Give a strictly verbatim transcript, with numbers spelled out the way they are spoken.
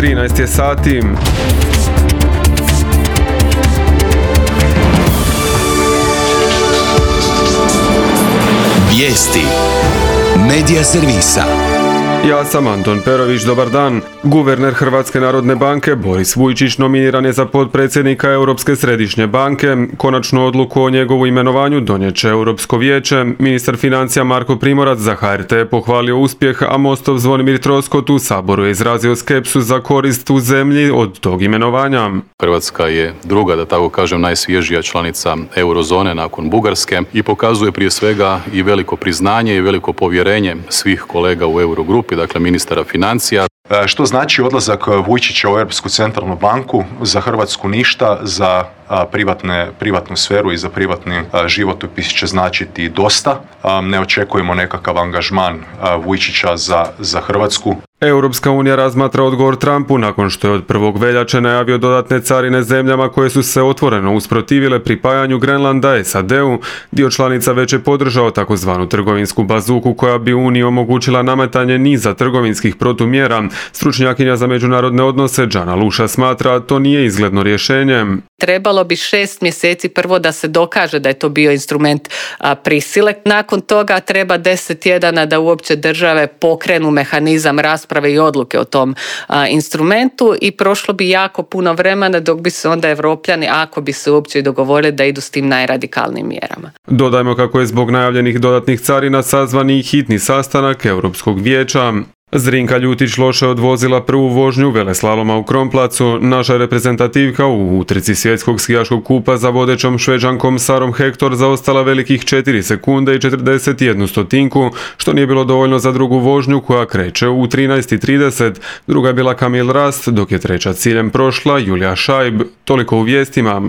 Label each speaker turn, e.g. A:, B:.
A: trinaest je sati.
B: Vijesti Medija servisa.
A: Ja sam Anton Perović, dobar dan. Guverner Hrvatske narodne banke Boris Vujčić nominiran je za potpredsjednika Europske središnje banke. Konačnu odluku o njegovu imenovanju donijet će Europsko vijeće. Ministar financija Marko Primorac za H R T je pohvalio uspjeh, a Mostov Zvonimir Troskot u Saboru je izrazio skepsu za korist u zemlji od tog imenovanja.
C: Hrvatska je druga, da tako kažem, najsvježija članica eurozone nakon Bugarske i pokazuje prije svega i veliko priznanje i veliko povjerenje svih kolega u Eurogrupi, dakle ministara financija.
D: Što znači odlazak Vujčića u Europsku centralnu banku? Za Hrvatsku ništa, za privatne, privatnu sferu i za privatni životopis će značiti dosta. Ne očekujemo nekakav angažman Vujčića za, za Hrvatsku.
A: Europska unija razmatra odgovor Trumpu nakon što je od prvog veljače najavio dodatne carine zemljama koje su se otvoreno usprotivile pripajanju Grenlanda S A D-u. Dio članica već je podržao takozvanu trgovinsku bazuku koja bi Uniji omogućila nametanje niza trgovinskih protumjera. Stručnjakinja za međunarodne odnose Džana Luša smatra to nije izgledno rješenje.
E: Trebalo bi šest mjeseci prvo da se dokaže da je to bio instrument a, prisile. Nakon toga treba deset tjedana da uopće države pokrenu mehanizam rasprave i odluke o tom a, instrumentu i prošlo bi jako puno vremena dok bi se onda Evropljani, ako bi se uopće dogovorili, da idu s tim najradikalnijim mjerama.
A: Dodajmo kako je zbog najavljenih dodatnih carina sazvan i hitni sastanak Europskog vijeća. Zrinka Ljutić loše odvozila prvu vožnju veleslaloma u Kronplacu. Naša reprezentativka u utrci svjetskog skijaškog kupa za vodećom Šveđankom Sarom Hector zaostala velikih četiri sekunde i četrdeset jednu stotinku, što nije bilo dovoljno za drugu vožnju koja kreće u trinaest i trideset. Druga je bila Camille Rast, dok je treća ciljem prošla Julija Šajb. Toliko u vijestima.